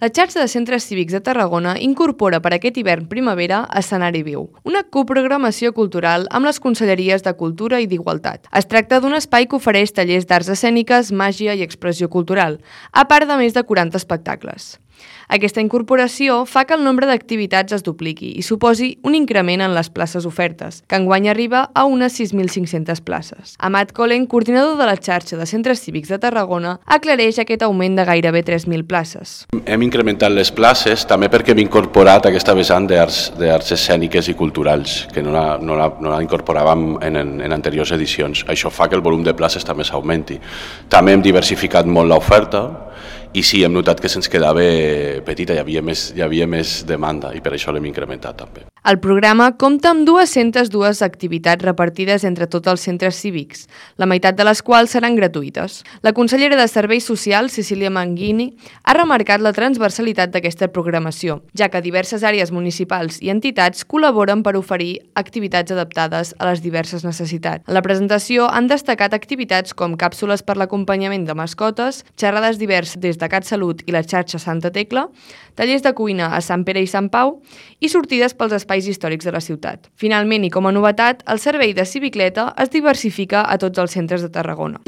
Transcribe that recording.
La xarxa de centres cívics de Tarragona incorpora per aquest hivern-primavera Escenari Viu, una coprogramació cultural amb les conselleries de Cultura i d'Igualtat. Es tracta d'un espai que ofereix tallers d'arts escèniques, màgia i expressió cultural, a part de més de 40 espectacles. Aquesta incorporació fa que el nombre d'activitats es dupliqui i suposi un increment en les places ofertes, que enguany arriba a unes 6.500 places. Amat Colen, coordinador de la xarxa de centres cívics de Tarragona, aclareix aquest augment de gairebé 3.000 places. Hem incrementat les places també perquè hem incorporat aquesta vessant d'arts escèniques i culturals, que no la incorporàvem en anteriors edicions. Això fa que el volum de places també s'augmenti. També hem diversificat molt l'oferta, i sí, hem notat que se'ns quedava petita, hi havia més demanda i per això l'hem incrementat també. El programa compta amb 202 activitats repartides entre tots els centres cívics, la meitat de les quals seran gratuïtes. La consellera de Serveis Socials, Cecília Manguini, ha remarcat la transversalitat d'aquesta programació, ja que diverses àrees municipals i entitats col·laboren per oferir activitats adaptades a les diverses necessitats. En la presentació han destacat activitats com càpsules per l'acompanyament de mascotes, xerrades diverses des de CatSalut i la xarxa Santa Tecla, tallers de cuina a Sant Pere i Sant Pau i sortides pels espais històrics de la ciutat. Finalment, i com a novetat, el servei de civicleta es diversifica a tots els centres de Tarragona.